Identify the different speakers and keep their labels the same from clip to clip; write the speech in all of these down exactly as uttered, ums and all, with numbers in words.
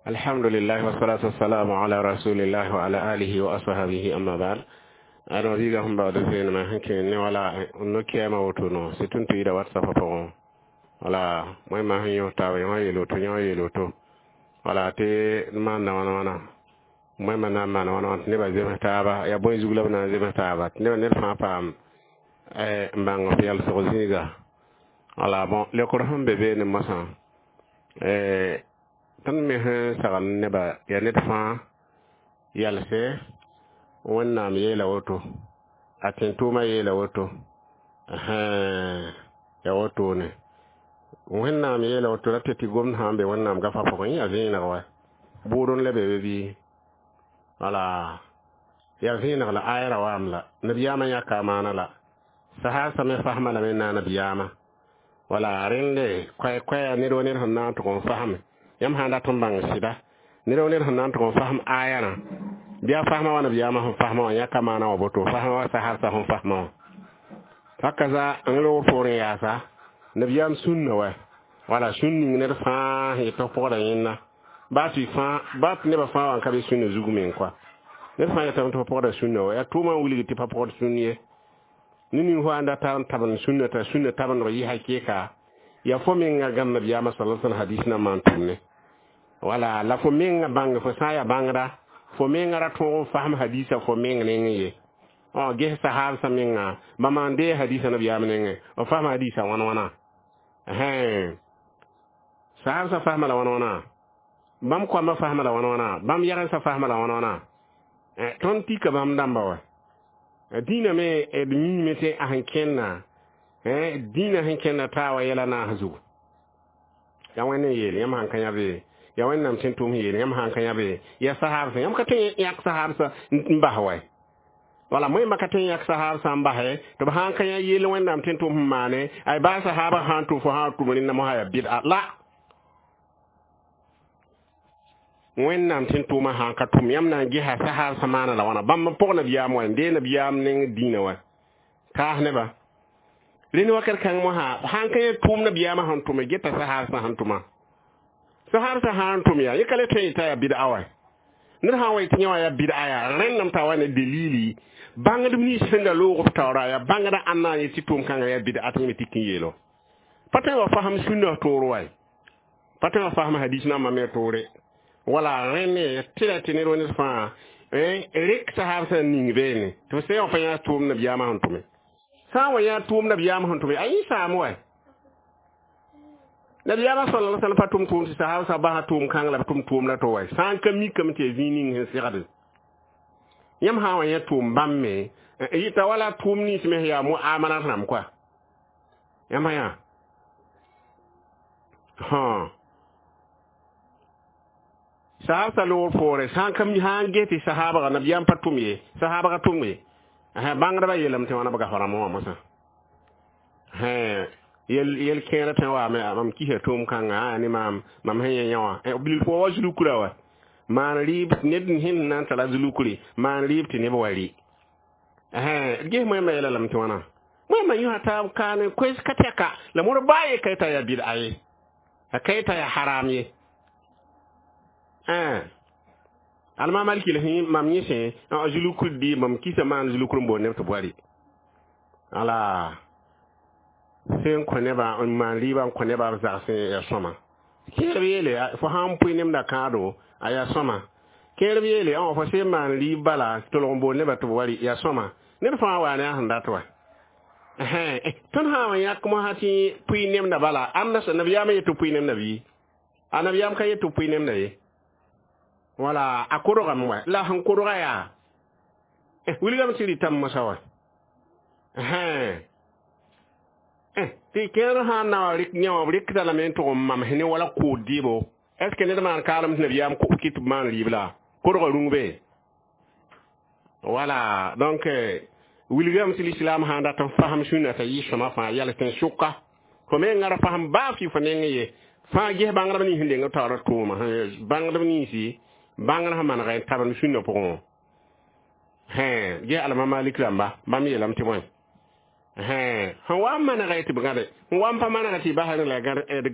Speaker 1: Alhamdulillah wassalatu wassalamu ala rasulillah wa ala alihi wa ashabihi amma ba'd. Adama biiga sẽn baood vẽenemã sẽn kẽ ne wala no-kɛɛmã woto no sɩ tʋn tɩ yida WhatsApp pʋgẽ wala wẽnnaam sẽn yõs taaba yõ yeel woto yõ yeel woto wala tɩ d maanda wãna wãna wẽnnaam na n maan wãna wãna tɩ nebã zems taaba yaa bõe zug la b na n zems taaba tɩ nebã ned fãa paam n bãng f yalsg zĩiga wala bon leokr sẽn be beene mosã tõnd me sẽn sagl nebã yaa ned fãa yalse wẽnnaam yeela woto a tẽn-tʋʋmã yeela woto yaa wotone wẽnnaam yeela woto ra tɩ tɩ gomd sã n be wẽnnaam gafã pʋgẽ yaa vẽeneg wa bʋʋd n la be be bɩ wala yaa vẽeneg la aya ra waam la nabiyaamã yãka a maana la sahaasã me fasma lame n na nabiyaamã wala rẽnde koɛ-koɛɛ ned wa ned sẽn na n tʋg n fasme yãmb sã n dat n bãng sɩda ned wa ned sẽn na n tʋg n fasm ayarã bɩ a fasma wa nabiyaamã sẽn fasma wã yãka maana wã boto fasma wa sahaasã sẽn fasma wã hakaza n loog poorẽ yaasa nabiyaam sũnna wa wala sũn ning ned fãa sẽn yet f pʋgda yẽnna baa tɩ fãa baa tɩ nebã fãa wa n ka be sũnna zug meng koa ned fãa yetame tɩ f pʋgda sũnna wa yaa tʋʋmã n wilg tɩ pa pʋgd sũn ye ne ning fo ãn data n tabend sũnna t'a sũnna tabendg yɩ hakɩɩka yaa fo menga gãmb nabiyaamã sala sallam hadis na maan tʋm ne wala la fo menga bãng fo sã n yaa bãngda fo menga ra tõog n fasem hadisa fo meng nengẽ ye ges sahaabsã menga bãmba n dee hadisa nabiyaam nengẽ b fasma hadisa wãn wãna sahaabsã fasma la wãn wãna bãmb koambã fasma la wãn wãna bãmb yagensã fasma la wãn wãna tõnd tika bãmb dãmba wa dĩinã me d miime tɩ a sẽn kẽnna dĩinã sẽn kẽnna taa wa yɛla naas zugu yaa wẽnd n yeel yãmb sãn ka yã be yaa wẽnnaam sẽn tʋm yeel yãmb sãn ka yã be yaa sahaabsã yãmb ka tõe n yãk sahaabsã n bas wa wala moẽmba ka tõe n yãk sahaabsã n basɛ tɩ b sãn ka yã yeel wẽnnaam tẽn tʋm sẽn maane ay baa sahaabã sãn tʋm fo sã n tʋm rẽnda mosã yaa bɩda la wẽnnaam tẽn tʋʋmã sãn ka tʋm yãmb na n gesa sahaabsã maana la wãna bãmb n pʋg nabiyaam wa n dee nabiyaam neng dĩinã wa kaas nebã rẽnd wakat kãng mosã sãn ka yã tʋʋm nabiyaamã sẽn tʋme geta sahaabsã sẽn tʋma sahaabsã sã n tʋm yaa yẽ ka le tõe n yetã yaa bɩda wa ned sã n wa yetɩ yẽ wã yaa bɩda yaa rẽndame t'a wa ne delili bãngdb nins sẽn da loog b taoora yaa bãngda ãnna n yet tɩ tʋʋm kãngã yaa bɩda tɩ yẽ me tik n yeelo pa tõe wa fasem sũnã toor wa pa tõe wa fasem hadis nambã me toore wala rẽnd tɩ ra tɩ ned wa ned fãa rek sahaabsã n ning beene tɩ f sẽn wã pa yã tʋʋm nabiyaamã sẽn tʋme sã n wa yã tʋʋm nabiyaamã sẽn tʋme a yẽ saam wa nabiyaamã sala la sallam pa tʋm tʋʋm tɩ sahaabsã basã tʋʋm kãng la b tʋm tʋʋm la to wa sã n ka mikame tɩ yaa zĩig ning sẽn segd yãmb sã n wa yã tʋʋm bãmb me yɩta wala tʋʋm nins me sẽn yaa muamalat rãmb koa yãmb sã yã hã sahaabsã loogr poore sã n ka sã n ges tɩ sahaabga nabiyaam pa tʋm ye sahaabga tʋm ye bãngdbã yeelame tɩ wãna b gafrãmb wã mosã yel yel kẽerã tõe waame mam kisa tʋʋm kãnga ne maam mam sẽn yẽ yã wã bilf wa zulukra wa maan rɩɩb ned sẽn na n tara zulukre maan rɩɩb tɩ neb wa rɩ ges moẽmba yɛla lame tɩ wãna moẽmba yõsa taab kaane koes ka tɛka la modb baa ye ka yeta yaa bɩda ye a ka yeta yaa haram ye alma maliki la sẽn mam yẽ sẽ zulukr dɩ mam kisa maan zulukr n boond neb tɩ b wa rɩ ala sẽn kõ nebã n maan rɩɩbã n kõ nebã b zagsẽ yaa sõma kẽerb yeele fo sã n pʋɩ nemda kãado a yaa sõma kẽerb yeele fo sẽn maan rɩɩb bala tolg n boond nebã tɩ b wa rɩ yaa sõma ned fãa waa ne a sẽn dat wa tõnd sã n wa yãk mosã tɩ pʋɩ nemda bala ãmda nabiyaamã yet tɩ pʋɩ nemda bɩ a nabiyaam ka yet tɩ pʋɩ nemda ye wala a kodgame wa la sẽn kodga yaa wilgame tɩ rɩtame mosã wa tɩ kẽer sã n na wa rɩk yã wã b rɩkda lame n tʋg n mamsẽ ne wala kood dɩɩbo est ce que ned maan kaalem tɩ nabiyaam kɩ tɩ b maan rɩɩb la kodga rũng be wala donc wilgame tɩ lislaam sã n dat n fasem sũnã t'a yɩ sõma fãa yals tɩ n sʋka fo menga ra fasem baa fɩ fo neng ye fãa ges bãngdb nins sẽn deng b taoora tʋʋma bãngdb ninsi bãngr sẽn manega n tabend sũnã pʋgẽ ges alma malik rãmba bãmb yeelame tɩ bõe sẽn wa n manega tɩ b gãde sẽn wa n pa manega tɩ y bas rẽ la d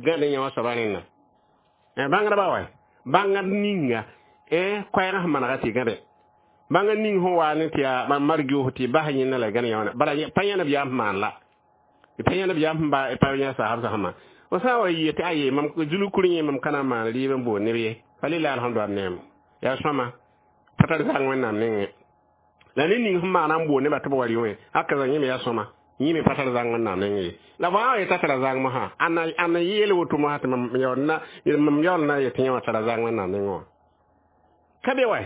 Speaker 1: gãd yã wã soaba rẽnna bãngdbã wa Bãngd ninga eh koɛɛg sẽn manega tɩ gãde bãngd ning sẽn wa ne tɩ yaa marg-yoos tɩ bas yẽnda la gãd yã bala pa yã nabiyaam sẽn maan la pa yã nabiyaam sẽn ba pa yã saasb sã sẽn maan fo sã n wa yɩ tɩ aye mam zulkur yẽ mam ka na n maan rɩɩb n boond neb ye pa lila alhamdu ad neem yaa sõma pa tar zang wẽnnaam nengẽ la ned ning sẽn maana n boond nebã tɩ b wa rɩ wẽ haka yẽ me yaa sõma yẽ me pa tar zang wẽnnaam nengẽ ye la fo sã n yeta tara zang mosã ãnna yeel woto mosã tɩ mam yaool na mam yaool na yetɩ yẽ wã tara zang wẽnnaam nengẽ wã ka be wa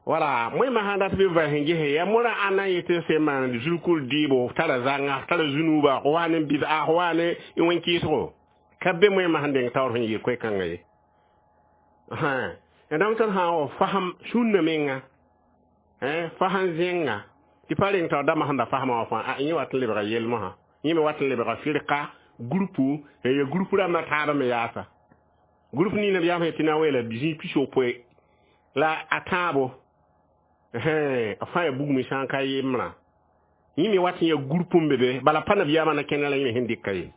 Speaker 1: wala moẽ masã dat bɩ va sẽn gese yaa morã ãnna n yetɩ sẽn maan zulkur dɩɩbo tara zãnga tara zunuuba wa ne bid'a wa ne wẽn-kɩɩsgo ka be moẽ masã deng taoor sẽn yɩɩl koe-kãngã ye donc tõnd sã n wa fasem sũnna menga fasem zẽnga tɩ pa reng taoor dãmbã sẽn da fasmã wã fãa yẽ wat n lebga yell mosã yẽ me wat n lebga firka groupe ya groupe rãmbã taabã me yaasa groupe ning nabiyaam sẽn tɩ na n weela zĩig pis-yopoe la a tãabo fãa ya bugme sã n ka yembrã yẽ me wat n ya groupe n be be bala pa nabiyaamã na kẽnda la yẽ me sẽn dɩka ye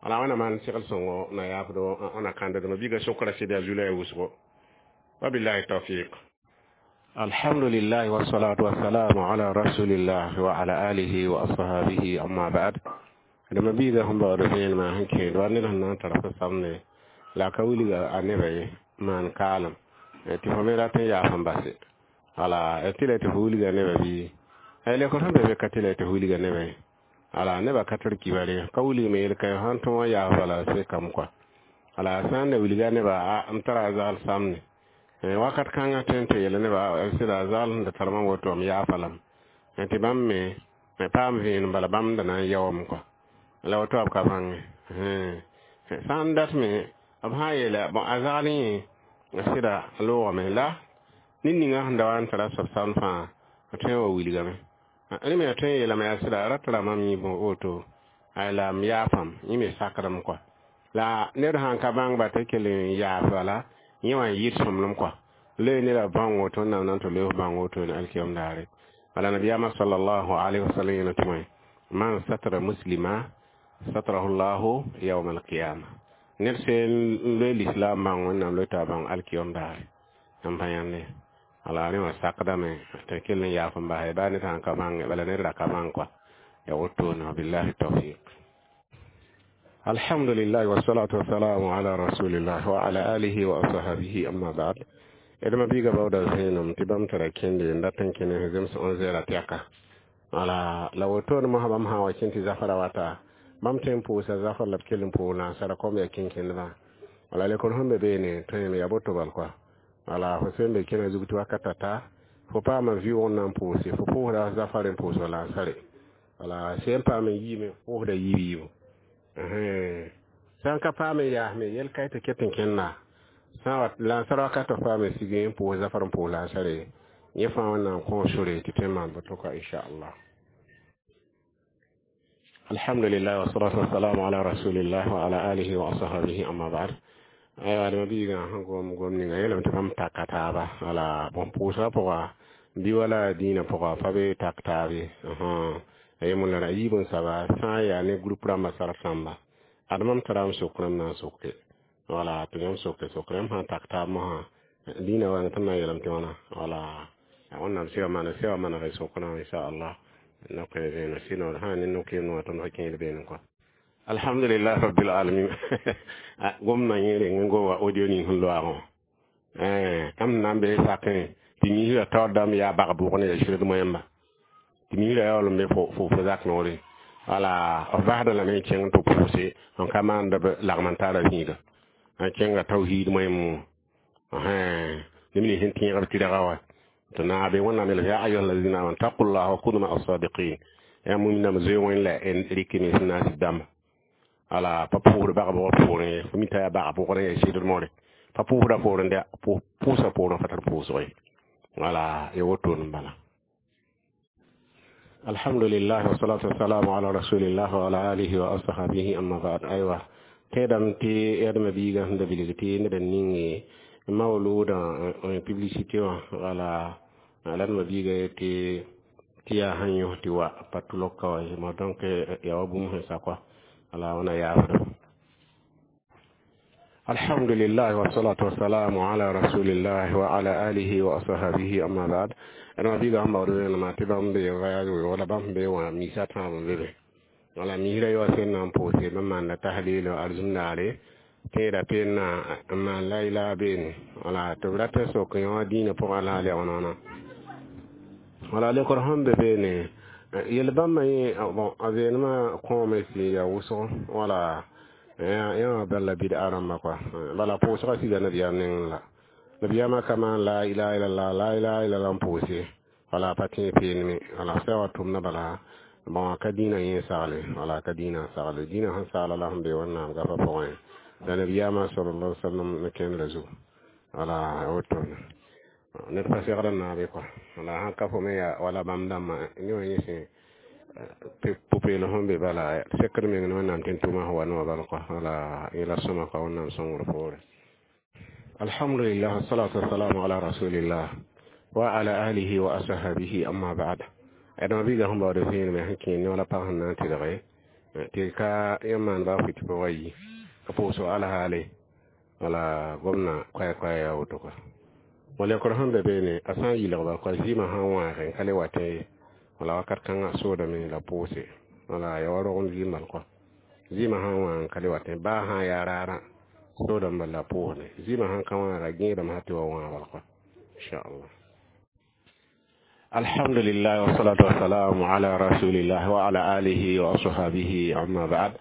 Speaker 1: wala wẽnnaam maan segl sõngo na yaafdo na kãndedmã biiga sokra sɩd yaa zulã ya wʋsgo wabillahi tawfiq alhamdulillah wassalatu wassalamu ala rasulillah wa ala alihi wa ashabihi amma ba'd dama biiga sẽn baood vẽenemã sẽn kẽed wa ned sẽn na n tar fo samde la ka wilga a nebã ye maan kaalem tɩ fo me rat n yaas n base wala tɩ la tɩ fo wilga nebã bɩ lekr sẽn be be ka tɩ la tɩ fo wilga nebã ye ala nebã ka tar kibare ka wilgme yel ka sãn tõog n yaas bala sekame kɔa ala sã n da wilga nebã m tara a zaal samne wakat kãngã tõe n tɩ yel nebã sɩda a zaal sẽn da tar mam woto m yaafa lame tɩ bãmb me paam vẽenem bala bãmb da na n yaoome kɔa la woto b ka bãnge sã n dat me b sã n yeela bõn a zaal yẽ sɩda loogame la ned ninga sẽn da wa n tara soab samd fãa tõe n wa wilgame rẽ me tõe n yeelame yaa sɩda ra tara mam yẽ woto la m yaafam yẽ me sakdame kɔa la ned sãn ka bãng ba tɩ kell n yaas bala yẽ wã n yɩt sõmblem kɔa loe nedã bãng woto wẽnnaam na n tɩ loe bãng woto ne alkiyom daare bala nabiyaamã sallallahu alaihi wasallam yeela tɩ wẽ man satara muslima satrahu llahu yawma alqiyama ned sẽn loe l'islam bãng wẽnnaam loe t'a bãng alkiyom daare n pa yãnde ala rẽ wã sakdame tɩ kell n yaaf n basa baa ned sãn ka bãnge bala ned ra ka bãng kɔa ya wotone wabillahi tawfiq alhamdulillah wassalatu wassalamu ala rasulillah wa ala alihi wa ashabihi amma ba'd edma biiga baooda zẽenem tɩ bãmb tara kẽnde n dat n kẽne zems onze heures tɛka wala la wotone mosã bãmb sã n wa kẽn tɩ zafra wata bãmb tõe n pʋʋsa zafr la b kell n pʋʋg nansara kom yaa kẽnkẽndbã wala lekor sẽn be beene tõe ya boto bal kɔa wala fo sẽn be kẽna zug tɩ wakat ta fo paama vɩʋʋg n na n pʋʋse fo pʋʋsda zafar n pʋʋsg lansare wala sẽn paam n yiime pʋʋsda yiib yiibu sã n ka paam n yaasme yɛl ka tɩ ket n kẽnda sã n wa lansar wakat f paam n sig n pʋʋs zafar n pʋʋs lansare yẽ fãa wẽnnaam kõ sore tɩ tõe n maan boto kɔa inchallah alhamdulillah wassalatu wassalamu ala rasulillah wa ala alihi wa ashabihi amma ba'd aywa dama biigã sẽn gom gom ninga yeelame tɩ bãmb taka taaba wala bõn pʋʋsgã pʋga bɩ wala dĩinã pʋga pa be tak taab ye yemb la yiib n saba sã n yaa ne groupe rãmbã sarf rãmba ad mam tara m sok rãmb na n soke wala tɩ yãmb soke sok rãmb sã n tak taab mosã dĩinã wãng tɩ m na n yeelame tɩ wãna wala wẽnnaam sɩga maana sɩga maneg sokrã inchallah noke vẽenem sɩd sã ne nokeem wã tõnd fa kẽed beene kɔa alhamdulillah rabbil alamin gomdã yẽ reng n goma audio ning sẽn loaagẽ wã ãmb na n be sakẽ tɩ niisrã taoor dãmb yaa bag bʋg ne yaa sɩd moẽmba tɩ niisrã yaool n be fo fo zak noore wala f basda lame n kẽng tɩ pʋʋse n ka maand b lagm n tara zĩiga n kẽnga tawhiid moẽm neb nins sẽn tẽegb tɩrga wa tɩ naabe wẽnnaam yeela ya ayuha alladina amanu taqullaha wa kunu maa asadiqin yaa muminame zoe wẽn la rɩk mens n na n sɩd dãmba ala pa pʋʋsd bag bʋgr poorẽ ye fo mi t'a yaa bag bʋgrẽ yaa sɩdr more pa pʋʋsda poorẽ dɛ pʋʋsa poorẽ fa tar pʋʋsg ye wala ya wotone n bala alhamdulillah wassalatu wassalamu ala rasulillah wa ala alihi wa ashabihi amma ba'd aywa tẽedame tɩ yadmã biigã sẽn da bilg tɩ ned n ninge mawludã publicité wã wala la d biiga tɩ tɩ yaa sẽn yõs tɩ wa pa tʋlg ka wa ma donc yaa wa bũmb sẽn sa kɔa ala wẽna yaafda الحمد لله والصلاة والسلام على رسول الله وعلى آله وأصحابه أما بعد أنا بيغا هم بارو ما تبام بي غايا ولا بام بي وميسا تام بي wala mira yo sen nan pose ba man la tahlil arzum dare tẽeda peen n maan la ila beene wala tɩ b rat n sok yõ dĩinã pʋgã la a leoonã wala lekr sẽn be beene yel bãmba yẽ bon a veenemã kõome sɩ yaa wʋsg wala yã bala bid'a rãmba kɔa bala pʋʋsgã siga nabiyaam nengẽ la nabiyaamã ka maan la ilaha illallah la ilaha illallah n pʋʋse wala pa tẽ peeneme wala sã wa tʋmda bala bon ka dĩinã yẽ sagle wala ka dĩinã sagle dĩinã sẽn sagla la sẽn be wẽnnaam gafã pʋgẽ la nabiyaamã sallallahu alaihi wasallam ne kẽndra zugu wala woto ned pa segd n naabe kɔa wala sãn ka fo me yaa wala bãmb dãmbã ne wã yẽ sẽn pʋ-peelem sẽn be bala sekd meng ne wẽnnaam tɩ n tʋma sẽn wa ne wã bal kɔa wala yẽla sõma kɔa wẽnnaam sõngr poore alhamdulillah wassalatu wassalamu ala rasulillah wa ala alihi wa ashabihi amma ba'd adama biiga sẽn baood vẽenemã sẽn kẽer ne wala pag sẽn na n tɩlge tɩ ka yãmb maan baa fɩ tɩ pʋgã yi ka pʋʋsg alhaale wala gomna koɛɛ-koɛɛ yaa woto kɔa wala sẽn be beene a sã n yɩlgba kɔa zɩɩmã sã n wãag n ka le wa tẽ ye wala wakat kãngã soodame la pʋʋse wala ya wa rogend zɩɩm bal kɔa zɩɩmã sã n wãag n ka le wa tẽ baa sã n yaa raarã soodame bal la pʋʋsne zɩɩmã sãn ka wãaga gẽedame sã tɩ wa wãag bal kɔa inchallah الحمد لله والصلاة والسلام على رسول الله وعلى آله وصحبه أما بعد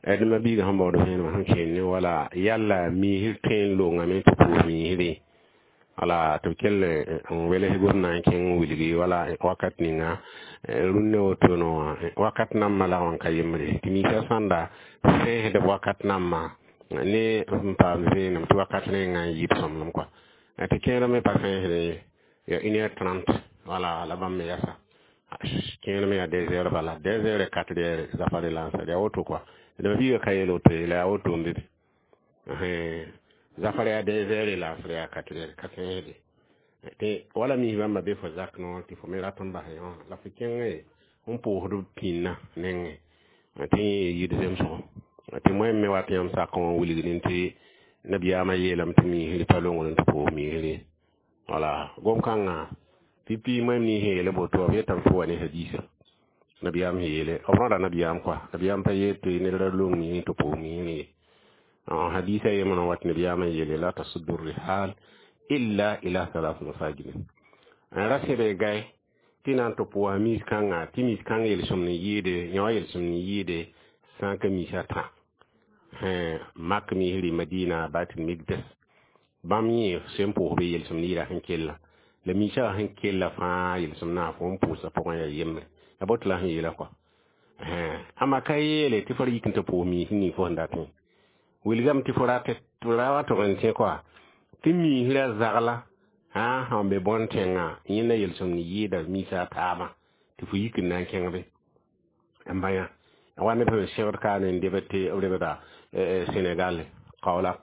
Speaker 1: أدم بيغ هم بودو فين ما كين ولا يلا ميهر تين لونغ مي تبو ميهري wala to kelle n welg gomna n kẽng wilgi wala wakat ninga rũnnã wotono wã wakat nambã la wã n ka yembre tɩ miisã sãnda sẽesdb wakat nambã ne n paam vẽenem tɩ wakat rẽngã n yɩɩd sõmblem kɔa tɩ kẽer me pa sẽesdẽ ye ya une heure trente wala la bãmb me yasa kẽer me yaa deux heures bala deux heures et quatre heures zafare lansar yaa woto kɔa d biiga ka yeel woto ye la yaa woto n be be zafar yaa deux heures laasr yaa quatre heures ka sẽesde tɩ wala mis bãmba be fo zak noor tɩ fo me rat n bas yõ la fo kẽng n pʋʋsd pĩnnã nengẽ tɩ yẽ yid zemsgo tɩ moẽm me wat yãmb sak wã wilgdẽ tɩ nabiyaamã yeelame tɩ miisr pa longr tɩ pʋʋs miisr wala gom-kãngã pipi moẽm nins sẽn yeele boto b yetame tɩ wa ne hadiisa nabiyaam sẽn yeele b rõda nabiyaam kɔa nabiyaam pa yeel tɩ ned ra long miisr tɩ pʋʋs miisr ye hadisa yembrã wat nabiyaamã yeele la tasuddu rihal illa ila thalath masajid n ra sẽbe gai tɩ na n tɩ pʋʋsa miis kãnga tɩ miis kãng yelsem n yɩɩde yõ yelsem n yɩɩde sã n ka miisã tã mak misri madina baitul migdes bãmb yẽ sẽn pʋʋs be yelsem n yɩɩda sẽn kella la miisã sẽn kella fãa yelsem na fo n pʋʋsa pʋgẽ yaa yembre la boto la sẽn yeela kɔa ãmba ka yeele tɩ fo ra yik n tɩ pʋʋs miis ning fo sẽn datẽ wilgame tɩ fo rat tɩ ra wa tʋg n tẽ kɔa tɩ miisrã zagla sã sẽn be bõn-tẽngã yẽnda yelsem n yɩɩda miisã a taabã tɩ fo yik n na n kẽng be n bã yã wa neb sẽn segd ka ne n debd tɩ b rebda Senegal Kaolack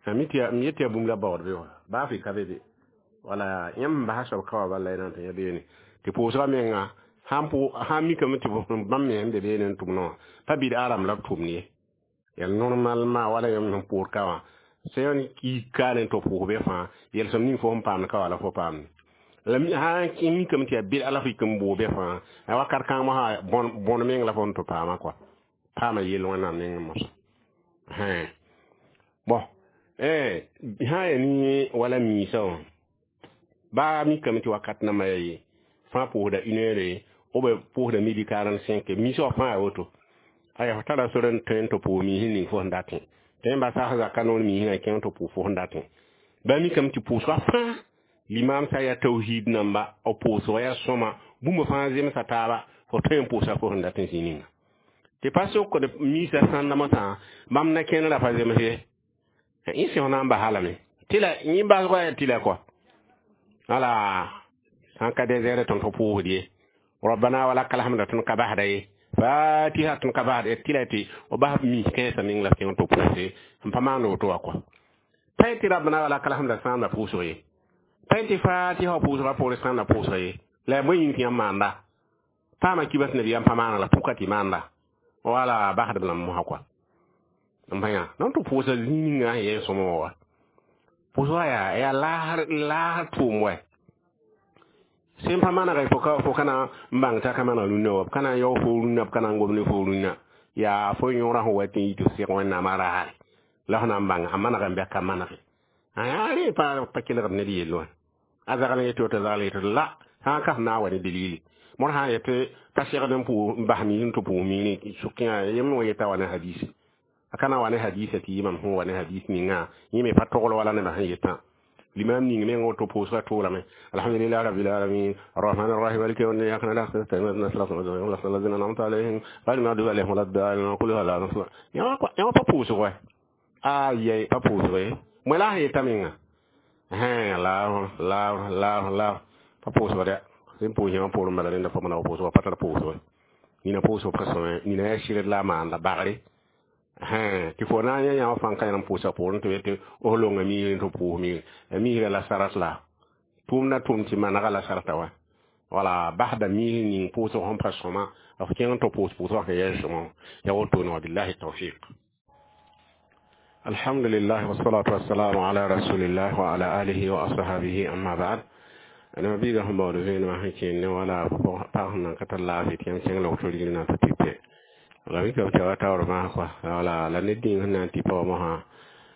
Speaker 1: m yet yaa bũmb la baood be wa baa fɩ ka be be wala yãmb basa soab ka wa bala y na n tɩ yã beene tɩ pʋʋsgã menga sãn mikame tɩ bãmb me sẽn be beene n tʋmdẽ wã pa bɩd aram la b tʋmd ye yaa normalement wala yãmb sẽn pʋʋd ka wã sẽn yik kaane tɩ pʋʋs be fãa yelsem ning fo sẽn paamd ka wa la fo paamd la sã n mikame tɩ yaa bɩd la fo yik n bʋʋ be fãa a wakat kãng mosã bõn meng la fo n tɩ paamã kɔa paama yell wẽnnaam nengẽ moasã bon sã yaa ni wala miisã wã baa mikame tɩ wakat nambã yaa ye fãa pʋʋsda une heure ou bien pʋʋsda midi quarante cinq miisã wã fãa yaa woto aya fo tara sor n tõe n tɩ pʋʋs miis ning fo sẽn datẽ tɩ yẽmba sas zaka noor miisã kẽng tɩ pʋʋs fo sẽn datẽ ba mikame tɩ pʋʋsgã fãa limam sã yaa tawhid namba b pʋʋsgã yaa sõma bũmb fãa zemsa taaba fo tõe n pʋʋsa fo sẽn datẽ zĩ ninga tɩ pa sokd miisã sãnda mosã bãmb na kẽnd ra pa zems ye yẽ sẽs na n basa lame tɩ la yẽ basgã yaa tɩ la kɔa wala sã n ka des heures tõnd fo pʋʋsd ye rabbana wa lakal hamd tõnd ka basda ye fatiha tõnd ka basd tɩ la tɩ b bas miis kãensã meng la kẽng tɩ pʋʋse n pa maand woto wã kɔa pa tɩ rabbana wa lakal hamd sãamda pʋʋsg ye pa tɩ fatiha wa pʋʋsgã poore sãamda pʋʋsg ye la yaa bõe yĩng tɩ yãmb maanda paama kibas nabiyaam pa maana la pʋka tɩ maanda wala basdb lame mosã kɔa n pa yã nan tɩ pʋʋsa zĩig ninga sẽn yẽ sõma wã wa pʋʋsgã yaa yaa laasr laasr tʋʋm wa sẽn pa manege fo ka fo ka na n bãng t'a ka maneg rũnnã wa b ka na n yaoog fo rũnnã b ka na n gom ne fo rũnnã yaa fo yõora sẽn wa tɩ n yit f sɩg wẽnnaamã raare la f na n bãng a maneg n bɩ a ka manege a rẽ pa pa kelgd ned yell wã a zagl n yetɩ woto zagl yetɩ la sã n ka f naag wa ne dalili mõr sã n yetɩ pa segd n pʋʋs n bas miis n tɩ pʋʋs miirẽ sʋkẽ yem wã yeta wa ne hadis a ka na wa ne hadisa tɩ yɩ mam sẽn wa ne hadis ninga yẽ me pa togl wala nebã sẽn yetã limam ning meng woto pʋʋsgã tʋʋlame alhamdulillah rabbil alamin arrahman arrahim maliki yawmi din iyyaka na'budu wa iyyaka nasta'in ihdinas siratal an'amta alayhim ghayril maghdubi alayhim waladdallin qul huwallahu ahad yã pa pʋʋsg wa a yɛ pa pʋʋsg ye moe la sẽn yeta menga laar laar laar laar pa pʋʋsg dɛ sẽn pʋʋs yãmb poorẽ bala rẽnda fa maneg pʋʋsg pa tar pʋʋsg nina pʋʋsg pa sõme nina yaa sɩrd la a maanda bagre tɩ fo na n yã yãmb fãn ka yãmb pʋʋsa poorẽ tɩ tɩ f longa miisr tɩ pʋʋs miisr miisrã la sarat la tʋʋmda tʋʋm tɩ manega la sarata wa wala basda miisr ning pʋʋsg sẽn pa sõma f kẽng tɩ pʋʋs pʋʋsgã sẽn yaa sõma ya wotone wa billahi tawfiq alhamdulillah wassalatu wassalamu ala rasulillah wa ala alihi wa ashabihi amma ba'd ana biga sẽn baood vẽenemã sẽn kẽnd ne wala pag sẽn nan ka tar laafɩ tɩ yãmb kẽng la woto rigr na tɩ tɩpe la mika b tɩ taoor maas kɔa wala la ned dĩng sẽn na n tɩpa wã mosã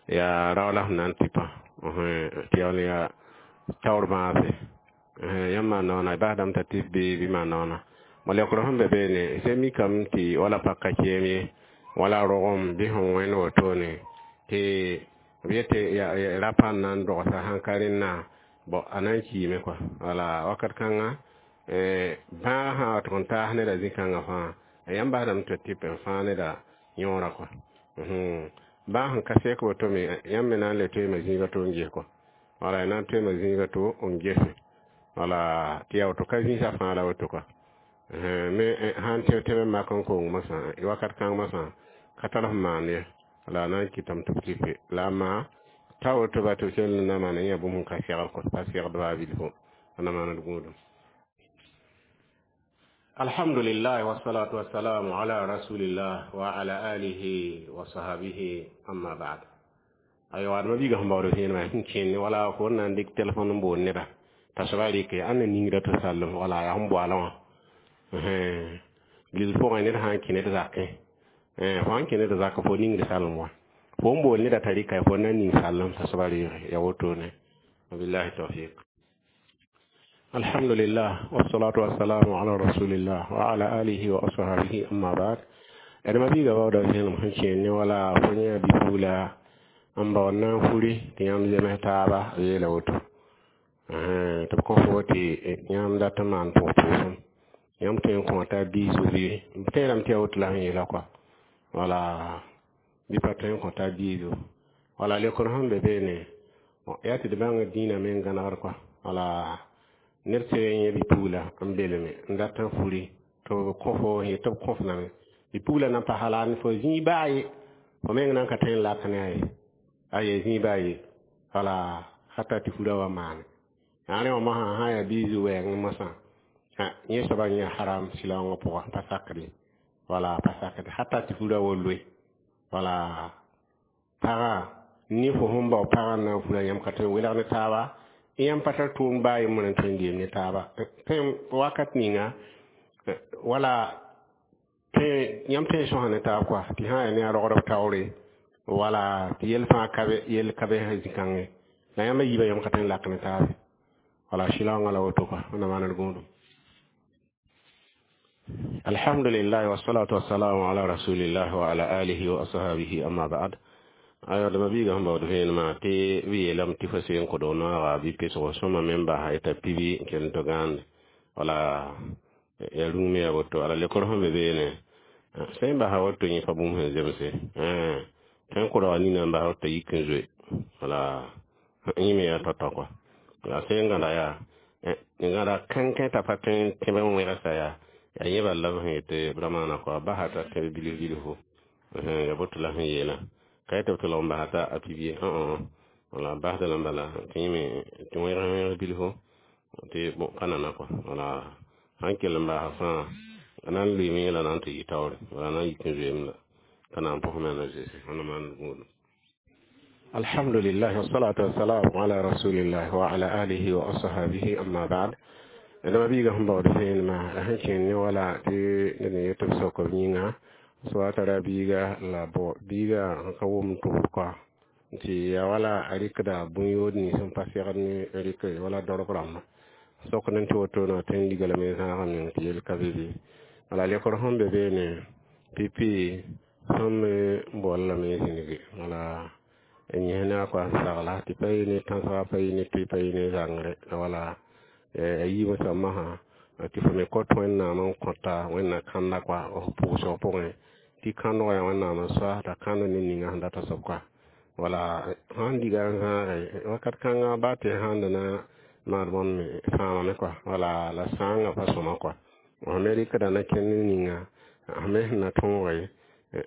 Speaker 1: yaa rao la sẽn na n tɩpa tɩ yaool yaa taoor maase yãmb maan noona basdame t'a tɩf bee bɩ maan noona ma leokr sẽn be beene sẽn mikame tɩ wala pak ka keem ye wala rogem bɩ sẽn wẽnd wotone tɩ b yetɩ rapa n na n dogsa sãn ka rẽnna bõ a na n kiime kɔa wala wakat kãnga bãag sã wa tʋg n taas neda zĩ-kãngã fãa yãmb basdame tɩ tɩp n fãag neda yõora kɔa bãag sẽn ka sɛk woto me yãmb me na n le toeema zĩiga to n ges kɔa wala y na n toeema zĩiga to n gese wala tɩ yaa woto ka zĩisã fãa la woto kɔa me sãn tẽb tẽb n mak n kong mosã wakat kãng mosã ka tar f maan ye la a na n kɩtame tɩ b tɩpe la a maa t'a woto ba tɩ b kell n na maan yã bũmb sẽn ka segd kɔ pa segd baa bilfo a na maand gũudum alhamdulillah wassalatu wassalamu ala rasulillah wa ala alihi wa sahabihi amma ba'd aywa adma biiga sẽn baood vẽenemã sẽn kẽnd wala fo n na n dɩk telefon n boond neba t'a soaba rɩke ãnd na ningra tɩ sallem wala yaa sẽn boalã wã gilg pʋgẽ ned sã n kẽ ned zakẽ fo sãn kẽ ned zak fo ningd salem wã fo n boond neda t'a rɩka fo na n ning sallem t'a soaba reege ya wotone wabillahi tawfiq alhamdulillah wassalatu wassalamu ala rasulillah wa ala alihi wa ashabihi amma ba'd adama biiga baooda vẽenem sẽn kẽend ne wala fo yã bi-pugla n baood na n furi tɩ yãmb zems taaba yeela woto tɩ b kõ fo tɩ yãmb dat n maan pʋg-pʋʋsem yãmb tõe n kõ t'a biis bɩ b tẽedame tɩ yaa woto la sẽn yeela kɔa wala bɩ pa tõe n kõ t'a biiso wala leokr sẽn be beene yaa tɩ d bãng dĩinã me n gãnegd kɔa wala ned sẽn yẽ bi-pugla n beleme n dat n furi tɩ b kõ fo yet tɩ b kõf lame bi-pugla na n pa hala fo zĩig baa ye fo meng nan ka tõe n lak ne a ye a ye zĩig baa ye wala hata tɩ furã wa maane yaa rẽ wã mosã sã n yaa biis wɛɛng mosã yẽ soaba yẽ haram sɩlaoongã pʋga pa sakd ye wala pa sakd hata tɩ furã wa loe wala pagã ne fo sẽn bao pagã n na n furã yãmb ka tõe n welg ne taaba yãmb pa tar tʋʋm baa yembr n tõe n geem ne taaba tõe wakat ninga wala yãmb tõe n sõsa ne taab kɔa tɩ sã n yaa ne a rogdb taoore wala tɩ yell fãa ka be yell ka be zĩ-kãngẽ la yãmb a yiibã yãmb ka tõe n lak ne taabe wala sɩlaoongã la woto kɔa wẽnnaam maand gũudum alhamdulillah wassalatu wassalamu ala rasulillah wa ala alihi wa ashabihi amma ba'd aywa dama biiga sẽn baood vẽenemã tɩ b yeelame tɩ fo seen kʋdg noaga bɩ pesgo sõma me n basa t'a pibi n kell tɩ gãande wala ya rũm me yaa woto ala lekr sẽn be beene sẽn basa woto yẽ pa bũmb sẽn zemse tõe n kʋdga nina n basa woto yik n zoe wala yẽ me yaa tao-tao kɔa la sẽn gãda yaa gãda kãnkẽ t'a pa tõe n tẽb n wẽgsa yaa yaa yẽ bala b sẽn yetɩ b ra maana kɔa basa t'a tẽb bilf bilfo ya boto la sẽn yeelã ka yetɩ b tɩ lg n basa t'a a pibie wala basda la bala tɩ yẽ me tɩ wẽg wẽg bilfo tɩ pa nana kɔa wala sãn kell n basa fãa a na n lʋɩɩme la na n tɩ yɩ taoore wala na n yik n zoeem la T'a na n pʋs maana zeese wẽnnaam maan gũudum. Alhamdulillah wassalatu wassalamu ala rasulillah wa ala alihi wa ashabihi, amma ba'd. Dama biiga sẽn baood vẽenemã la sẽn kẽnd ne wala tɩ ned n yet tɩ b sok b yĩnga soa tara biiga la bõ biiga n ka wʋm tʋbd kɔa tɩ ya wala a rɩkda bũn-yood nins n pa segd ne rɩk wala dorb rãmba sokd n tɩ wotone tɩ n liga lame zãagã meng tɩ yel ka be be. Wala lekr sẽn be beene pipi sẽn me bool lame zĩnigi wala n yẽs ne a kɔa n sagla tɩ pa yɩ ne tãnsga, pa yɩ ne tʋɩ, pa yɩ ne zãngre wala a yiibã soab masã tɩ fo me kõt Wẽnnaam n kõta Wẽnnaam kãnda kɔa f pʋʋsg pʋgẽ tɩ kãndgã yaa Wẽnnaam n soa t'a kãnd ne ninga sẽn data soab kɔa wala sãn diga n zãage wakat kãnga baa tɩ sãn da na maan bõnd me fãamame kɔa wala la sãangã pa sõma kɔa f me rɩkda na kẽnd ninga f me sẽn na tõoge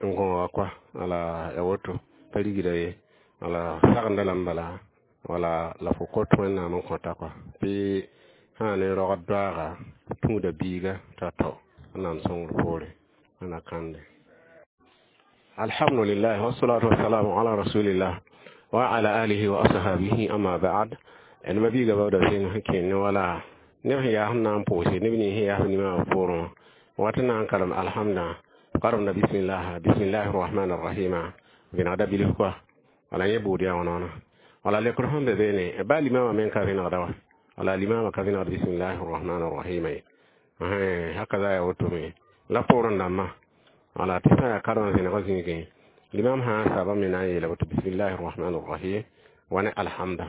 Speaker 1: n gõoga kɔa wala ya woto pa rigda ye wala sagenda lame bala wala la fo kõt Wẽnnaam n kõta kɔa tɩ sã ne rogd doaaga tũuda biiga t'a tao Wẽnnaam sõngr poore wẽnna kãnde. Alhamdulillah wassalatu wassalamu ala rasulillah wa ala alihi wa ashabihi, amma ba'd. D ma biiga baooda vẽeng sẽn kẽnd ne wala neb sẽn yaa sẽn na n pʋʋse neb nins sẽn yaa f nimaam poorẽ wat n na n karem alhamda karemda bismillah bismillahi rahmani rahima vẽnegda bilf kɔa wala yẽ buud yaa wãna wala lekr sẽn be beene baa limama meng ka vẽnegda wa wala limama ka vẽnegd bismillahi rahmani rahima ye hakaza ya woto me la poorẽ dãmbã wala tɩ sã yaa karem vẽnegã zĩigẽ limam sã n saba me na n yeela woto bismillahi rahmani rahim wa ne alhamda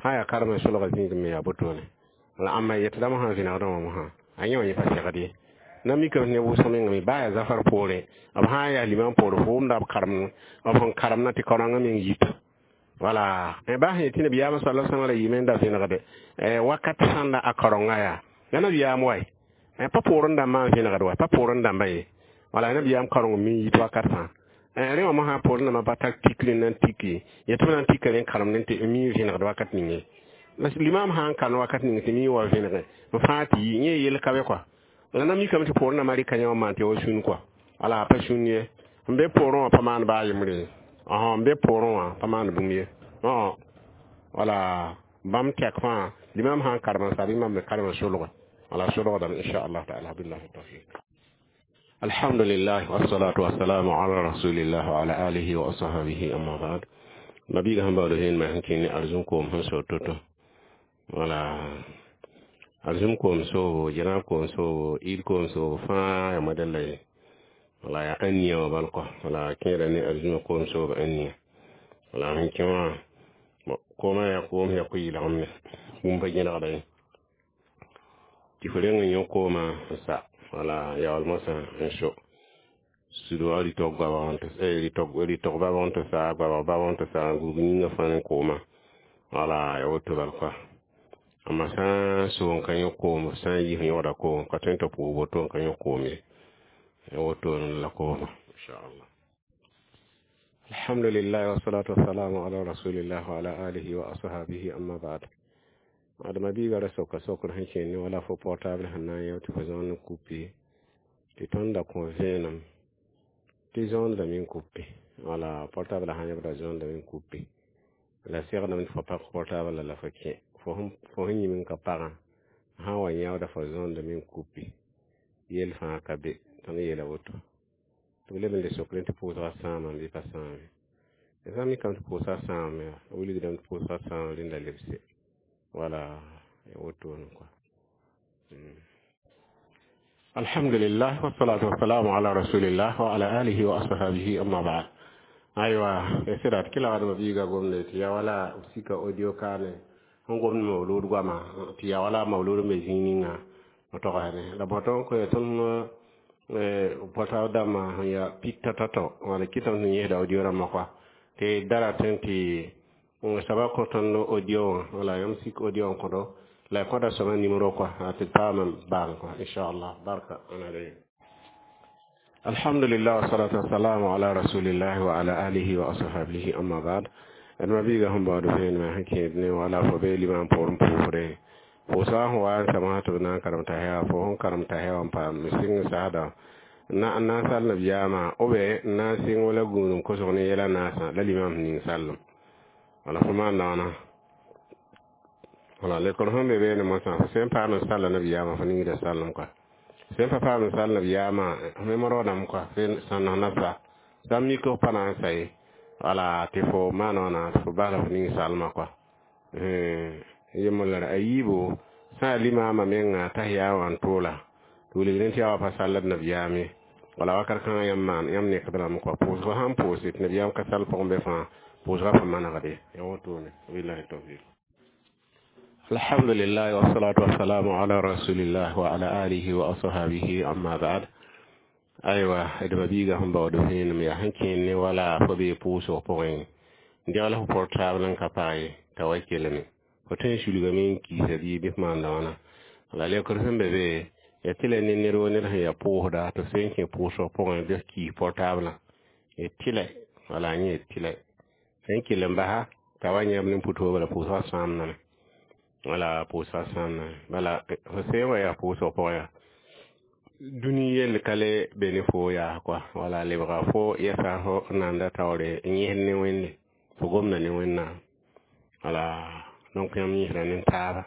Speaker 1: sã yaa karem n solga zĩig me yaa botone la ãmba yetdame sã vẽnegdã wã mosã a yẽ wã yẽ pa segd ye na mikame ne wʋsg mengame baa yaa zafar poorẽ b sã n yaa limam poore fo wʋmda b karem b sẽn karemna tɩ kaorãngã meng yita wala baa sẽn yetɩ nabiyaamã sala sãm la yɩɩme n da vẽnegde wakat sãnda a kaorengã yaa ya nabiyaam wae pa poorẽ dãmbã n vẽnegd wa pa poorẽ dãmba ye wala nabiyaam kaoreng me yit wakat fãa rẽ wã mosã poorẽ dãmbã pa tar tikr n na n tiki yetɩ b na n tika rẽ n karemd tɩ mi vẽnegd wakat ning ye limam sã n karem wakat ning tɩ mi wa vẽnege b fãa tɩ yi yẽ yel ka be kɔa la na mikame tɩ poorẽ dãmbã rɩka yẽ wã maan tɩ wa sũn kɔa wala pa sũn ye n be poorẽ wã pa maan baa yembre ye n be poorẽ wã pa maan bũmb ye wala bãmb tɛk fãa limam sã n karem n sab mam me karem n solga wala solgdame inchallah taala billahi tawfiq. Alhamdulillah wassalatu wassalamu ala rasulillah wa ala alihi wa ashabihi, amma ba'd. Mabiiga sẽn baood vẽenemã sẽn kẽnd ne arzũm koom sẽn so to-to wala arzũm koom soobo janaab koom soobo id koom soobo fãa yaa modɛlla ye wala yaa ãnia wã bal kɔ wala kẽeda ne arzũmã koom soobo ãnia wala sẽn kẽ wã koomã yaa koom yaa ko-yɩlgem bũmb pa gẽlgda ye tɩ fo reng n yõ koomã n sa wala yaool mosã n so sudwã rɩtg goabg rɩtg babg n tɩ sa goabg babg n tɩ sa n gũug yĩngã fãa ne koomã wala ya woto bal kɔa amma sã n so n ka yõ koom sã n yi f yõgda koom ka tõe n tɩ pʋʋg woto n ka yõ koom ye ya woto la kooma inchallah. Alhamdulillah wassalatu wassalamu ala rasulillah wa ala alihi wa ashabihi, amma ba'd. Adama biiga ra soka sokr sẽn kẽnd ne wala fo portable sẽn na n yao tɩ fo zõond n kupi tɩ tõnd da kõ vẽenem tɩ zõondame n kupi wala portable sã yãbda zõondame n kupi la segdame tɩ fo pak portable la fo kẽ fo sẽn yĩm n ka pagã sã n wa yãooda fo zõondame n kupi yel fãa ka be tõnd yeela woto tɩ b leb n le sokre tɩ pʋʋsgã sãamame bɩ pa sãame sã n mikame tɩ pʋʋsgã sãamame wilgdame tɩ pʋʋsgã sãam rẽnda lebse wala wotone quoi. Alhamdulillah wassalatu wassalamu ala rasulillah wa ala alihi wa ashabihi, amma ba'd. Aywa sɩda tɩ kɩla wadma biiga gomde tɩ ya wala sika audio kaane sẽn gomd maulud goama tɩ ya wala maulud n be zĩig ninga togsne la bõ tõnd koe tõnd pɔta dãmbã sẽn yaa pik tɔ-tɔ wala kɩtame sẽn yẽsda audio rãmbã kɔa tɩ da ratẽ tɩ soaba kõ tõnd audio wã wala yãmb sik audio n kõdo la y kõda soabã nimero kɔa tɩ paama baan kɔa inchallah barka ãna. Alhamdulillah wassalatu wassalamu ala rasulillahi wa ala alihi wa ashabihi, amma ba'd. D ma biiga sẽn baood vẽenemã sẽn kẽed ne wala fo be limam poorẽ pʋʋsre pʋʋsga sẽn wa n samsã tɩ b na n karem t'a hewa fo sẽn karem t'a hewa n paam sɩng n saasda Na n na n sal nabiyaamã ou bien n na n sɩng wala gũudum kosg ne yɛla naasã la limam ning sallem wala fo maan wãna wala lekr sẽn be beene mosã fo sẽn paam n salla nabiyaamã fo ningda sallem kɔa sẽn pa paam n sall nabiyaamã me roodame kɔa sãn nasa sã n mik f pa na n sa ye wala tɩ fo maan wãna tɩ fo basla fo ning salmã kɔa yembr la a yiibo sã yaa limaamã menga t'a yaa wã n toola tɩ wilg rẽ tɩ yaa wa pa salld nabiyaam ye wala wakat kãngã yãmb maan yãmb nekdrãmb kɔa pʋʋsgã sãn pʋʋse tɩ nabiyaam ka sall pʋgẽ be fãa pʋʋsgã pa manegde ya wotone billahi tawfiq. Alhamdulillah, wassalatu wassalamu ala rasulillah wa ala alihi wa ashabihi, amma ba'd. Aywa, d mabiiga sẽn baood vẽenem yaa sẽn kẽer ne wala fo bee pʋʋsg pʋgẽ degl f portable n ka pag ye t'a wa kelme fo tõe n sulgame n kiisa bɩ bɩ f maanda wãna la lekr sẽn be be ya tɩ la ne ned wo ned sẽn yaa pʋʋsda tɩ f sẽn kẽ pʋʋsg pʋgẽ bɩ f kiis portable y tɩlɛ wala yẽ tɩlɛ sẽn kell n basa t'a wa yãb ne pʋtooba la pʋʋsgã sãamdame wala pʋʋsgã sãamdame bala fo sẽn wa yaa pʋʋsg pʋgẽ yaa dũni yell ka le be ne fo yaa kɔa wala lebga fo yɛsa fo nanda taoore n yẽsd ne Wẽnde fo gomda ne Wẽnnaam wala donc yãmb yẽsda ne taaba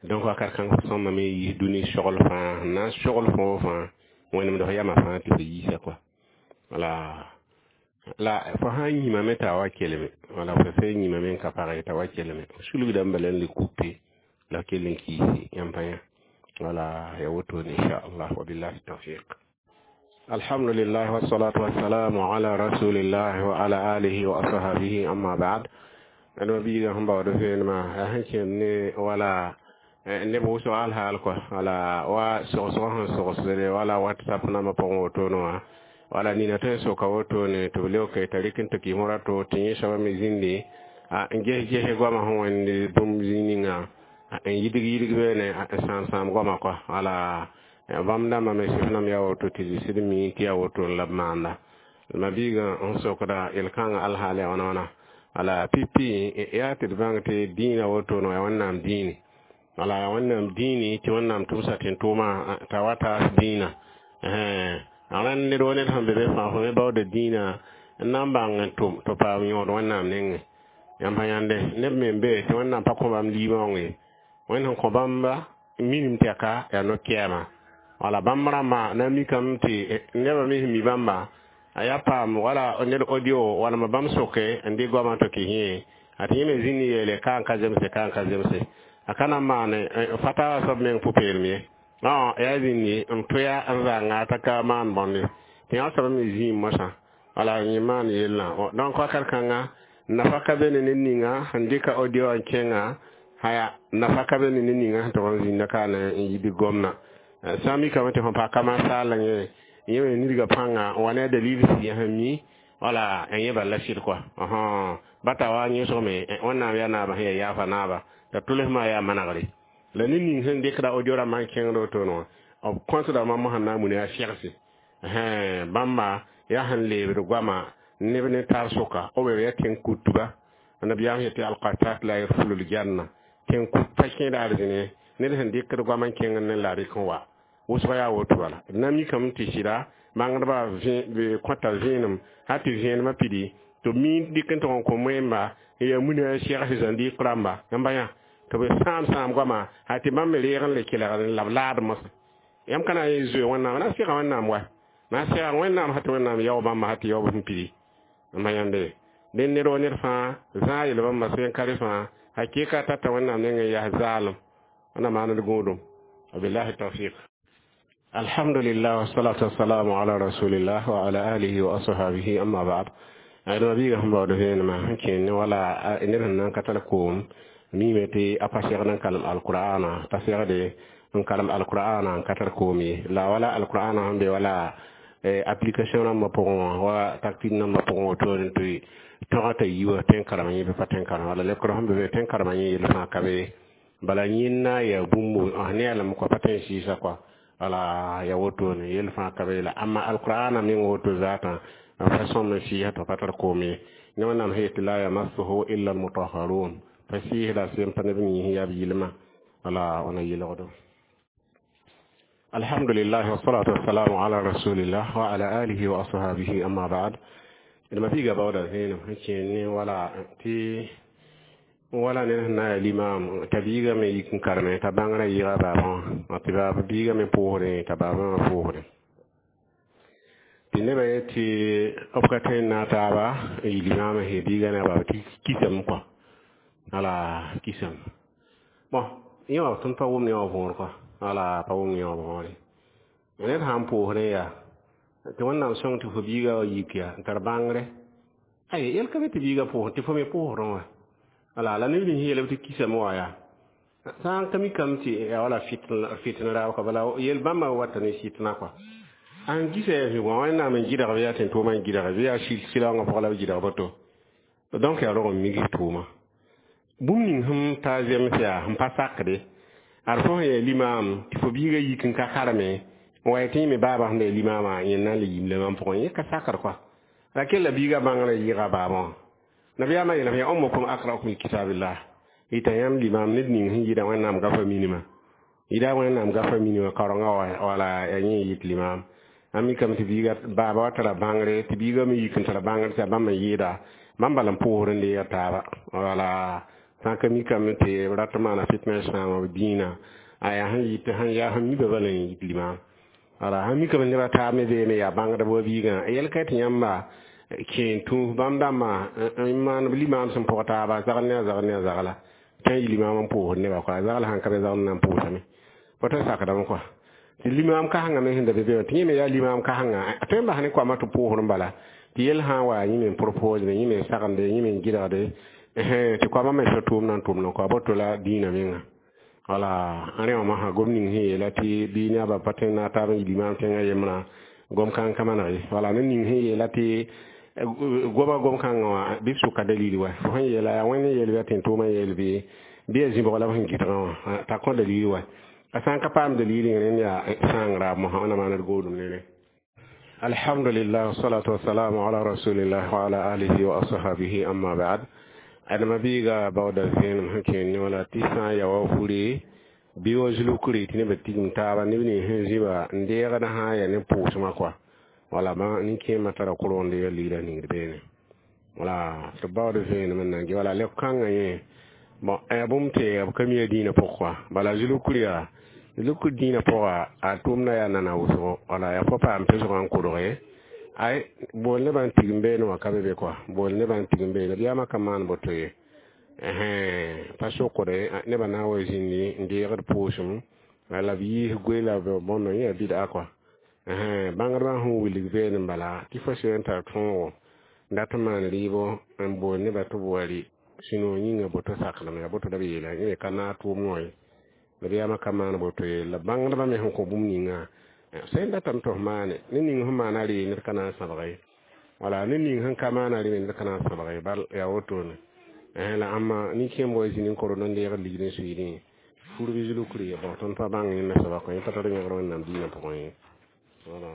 Speaker 1: donc wakat kãng fo sõmame yiis dũni sogl fãa n na n sogl foo fãa wẽnemd fo yamã fãa tɩ fo yiisa kɔa wala la fo sã n yĩmame t'a wa kelme wala fo sẽn yĩmame n ka pag t'a wa kelme sulgdame bala n le kupe la kell n kiisi yãmb pa yã wala ya wotone inchallah wabillahi tawfiq. Alhamdulillah, wassalatu wassalamu ala rasulillah wa ala alihi wa ashabihi, amma ba'd. D mabiiga sẽn baood vẽenemã yaa sẽn kẽnd ne wala neb wʋsg alhaal kɔa wala wa sogsgã sẽn sogsde wala WhatsApp nambã pʋgẽ wotone wã wala nina tõe n soka wotone tɩ b leoke t'a rɩk n tɩ kɩ rato tɩ yẽ soaba me zĩndi n ges ges goamã sẽn wẽnd bũmb zĩig ninga n yidg yidg beene n sãam sãam goamã kɔa wala bãmb dãmbã me sɩf nam yaa woto tɩ sɩd mi tɩ yaa woto la b maanda mabiigã n sokda yel-kãngã alhaal yaa wãna wãna wala pipi yaa tɩ d bãng tɩ dĩinã wotone yaa Wẽnnaam dĩini wala yaa Wẽnnaam dĩini tɩ Wẽnnaam tʋmsa tẽn-tʋʋmã t'a wa taas dĩinã rãnd ned wo ned sẽn be be fãa fo me baooda dĩinã n na n bãng n tʋm tɩ paam yõod Wẽnnaam nengẽ yãmb pa yãnde neb me n be tɩ Wẽnnaam pa kõ bãmb liimaoong ye Wẽnd sẽn kõ bãmba minim tɛka yaa no-kɛɛma wala bãmb rãmbã na n mikame tɩ nebã me sẽn mi bãmba a yaa paam wala ned audio walma bãmb soke n dɩ goamã tɩ kɩ yẽ a tɩ yẽ me zĩnd yeele ka n ka zemse ka n ka zemse a ka na n maane fatawa soab meng pʋ-peelem ye yaa zĩndi n tʋya n zãnga t'a ka maan bõnde tɩ yã soab me zĩig mosã wala yẽ maan yellã donc wakat kãnga nafa ka be ne ned ninga sẽn dɩka audio n kẽnga haya nafa ka be ne ned ninga sẽn tʋg n zĩnda ka na n yid gomna sã n mikame tɩ fõ pa kama saal yẽ yẽ me nidga pãnga n wa ne a dalil sɩ sẽn mi wala n yẽ bala sɩd kɔa bata wa yẽsgme Wẽnnaam yaa naabã sẽn yaa yaafa naaba t'a tʋlsmã yaa manegre la ned ning sẽn dɩkda audio rãmbã n kẽngd wotone wã b kõtdame mosã na n muna yaa segse bãmba yaa sẽn leebd goamã neb ne tar sʋka b yaa tẽn-kutba nabiyaam yetɩ alqatat la yadkhulu ljanna tẽn-kut pa kẽed arzẽne ned sẽn dɩkd goam n kẽngd ne la rɩk n wa wʋsg yaa woto bala d na mikame tɩ sɩda bãngdbã kõta vẽenem hal tɩ vẽenemã pidi tɩ b mi dɩk n tʋg n kõ moẽmba n yaa muna segs zãndiik rãmba yãmba yã tɩ b sãam sãam goamã hal tɩ bãmb me reeg n le kelgd la b laad mosã yãmb ka na n yen zoe Wẽnnaam na n sega Wẽnnaam wa na n sega Wẽnnaam sã tɩ Wẽnnaam yao bãmba sã tɩ yaob sẽn pidi n yãnde dẽ ned wa ned fãa zãag yel bãmba sẽn ka rẽ fãa hakɩka tata Wẽnnaam nengẽ yaa zaalem wẽnnaam maand gũudum wabillahi tawfiq. Alhamdulillah, wassalatu wassalamu ala rasulillah wa ala alihi wa ashabihi, amma ba'd. D mabiiga sẽn baood vẽenemã sẽn kẽer ne wala ned sẽn na n ka tar koom mime tɩ a pa segd n kalem alqur'ana pa segde n kalem alqur'ana n ka tar koom ye la wala alqur'ana sẽn be wala application rãmbã pʋgẽ wã wa taktik nambã pʋgẽ wotone tɩ tõga t'a yi wa tẽn karem yẽ bɩ pa tẽn karem wala lekr sẽn be be tẽn karemã yẽ yell fãa ka be bala yẽnda yaa bũmb ne yaa lame kɔa pa tõe n sɩɩsa kɔa wala ya wotone yell fãa ka be la amma alqur'ana meng woto zaatã n fa sõm n sɩɩsa tɩ pa tar koom ye ne Wẽnnaam sẽn yetɩ la yamassuhu illa almutahharun pa sɩɩsda sẽn pa neb yĩs yaa b yɩlmã wala wãna yelgdo. Alhamdulillah wassalatu wassalamu ala rasulillah wa ala alihi wa ashabihi amma ba'd. Ma biiga baooda vẽenem sẽn kẽer ne wala tɩ wala ned sẽn na n yaa limaam t'a biiga me yik n kareme t'a bãngrã yɩɩga baabã wã tɩ baab biiga me pʋʋsdẽ t'a baabã wã pʋʋsdẽ tɩ nebã yet tɩ b ka tõe n naag taaba n yɩ limaamã sẽn biiga ne a baaba tɩ kisame kɔa wala kisame bon yẽ wã tõnd pa wʋmd yẽ wã võor kɔa wala pa wʋmd yẽ wã võore ned sã n pʋʋsdẽ yaa tɩ Wẽnnaam sõng tɩ fo biiga wa yik yaa n tar bãngre ay yɛl ka be tɩ biiga pʋʋsd tɩ fo me pʋʋsdẽ wã wala la neb nins yeelame tɩ kisame wa yaa sã n ka mikame tɩ yaa wala fitn raab ka bala yel bãmba wata ne sɩtna kɔa an gisa yaa zĩig wã Wẽnnaam n gɩdg bɩ yaa tẽn-tʋʋmã n gɩdg bɩ yaa sɩlaoongã pʋgã la b gɩdg boto donc yaa rog n migs tʋʋma bũmb ning sẽn ta zems yaa sẽn pa sakde ad fo sẽn yaa limaam tɩ fo biiga yik n ka kareme n wa tɩ yẽ me baabã sẽn da yaa limaamã yẽ na n le yim la mam pʋgẽ yẽ ka sakd kɔa la kell la biiga bãngrã yɩɩga baabã wã nabiyaamã yeelame ya ummukum aqra'ukum likitabillah yɩta yãmb limaam ned ning sẽn yɩɩda Wẽnnaam gafa minimã yɩɩda Wẽnnaam gafa minimã kaorengã wala yaa yẽ yɩt limaam a mikame tɩ biiga baaba wa tara bãngre tɩ biiga me yik n tara bãngre tɩ yaa bãmb n yɩɩda bãmb bala n pʋʋsd n deega taaba wala sã n ka mikame tɩ b rat n maana fitna sãama b dĩinã aya sẽn yɩt sẽn yaa sẽn mi bala n yit limaam wala sãn mikame nebã taab me beeme yaa bãngdb wa biigã yɛl ka tɩ yãmba kẽen tũus bãmb dãmbã n maan b limaam sẽn pʋg taaba zagl ne a zagl ne a zagla tɩ yɩ limaam n pʋʋsd nebã kɔa zagl sãn ka be zagl na n pʋʋsame pa tõe sakdame kɔa tɩ limaam kasengã me sẽn da be be wã tɩ yẽ me yaa limaam kasengã a tõe n bas ne koamã tɩ pʋʋsd n bala tɩ yel sã n wa yẽ me n proposde yẽ me n sagende yẽ me n gɩdgde tɩ koamã me sã tʋʋm na n tʋmd kɔa boto la dĩinã menga wala rẽ wã masã gom ning sẽn yeela tɩ bɩ ne a ba pa tõe n naag taab n yɩ limaam tẽngã yembrã gom kãng ka maneg ye wala ned ning sẽn yeela tɩ goama gom kãngã wã bɩ b sʋka dalil wa fo sẽn yeela yaa Wẽnd n yeel bɩ a tẽn-tʋʋmã yeel bɩ bɩ yaa zĩ-bʋg la b sẽn gɩdgã wã t'a kõ dalil wa a sã n ka paam dalil rẽnd yaa sãang raab mosã wẽnnaam maand d goodum ne rẽ alhamdulillah wassalatu wassalamu ala rasulillah wa ala alihi wa ashabihi amma ba'd adama biiga baooda vẽenem sẽn kẽer ne wala tɩ sã n ya wa fure bɩ wa zulukre tɩ nebã tigim taaba neb nins sẽn zĩba n deegd sã n yaa ne pʋʋsmã kɔa wala ma nin-kẽemã tara kʋrg n deeg ligrã ningd beene wala tɩ baood vẽenem n na n ge wala leb-kãngã yẽ bon yaa bũmb tɩ b ka mi a dĩinã pʋg kɔa bala zulukr yaa zulukr dĩinã pʋga a tʋʋmdã yaa nana wʋsgo wala yaa fo paam pesgã n kodge ay bool nebã n tigim beene wã ka be be kɔa bool nebã n tigim beene biyaamã ka maan boto ye pa sokde nebã na n wa zĩndi n deegd pʋʋsem la b yiis goe la bõndo yẽ yaa bɩd'a kɔa bãngdbã sẽn wilg beene n bala tɩ fo sɩd n tar tõogo n dat n maan rɩɩbo n bool nebã tɩ b wa rɩ sũ-noog yĩnga boto sakdame yaa boto la b yeela yẽ me ka naag tʋʋm wã ye la biyaamã ka maan boto ye la bãngdbã me sẽn kõ bũmb ninga sẽn datame tɩ f maane ned ning sẽn maana rɩ ned ka na n sãbg ye wala ned ning sẽn ka maana rɩ me ned ka na n sãbg ye bal yaa wotone la ãmba nin-kẽemb wa zĩnd n kord n deegd ligd n suiidẽ fur bɩ zulukr ye bon tõnd pa bãng yẽnda soaba kõ yẽ pa tar yẽgr Wẽnnaam dĩinã pʋgẽ ye voilà.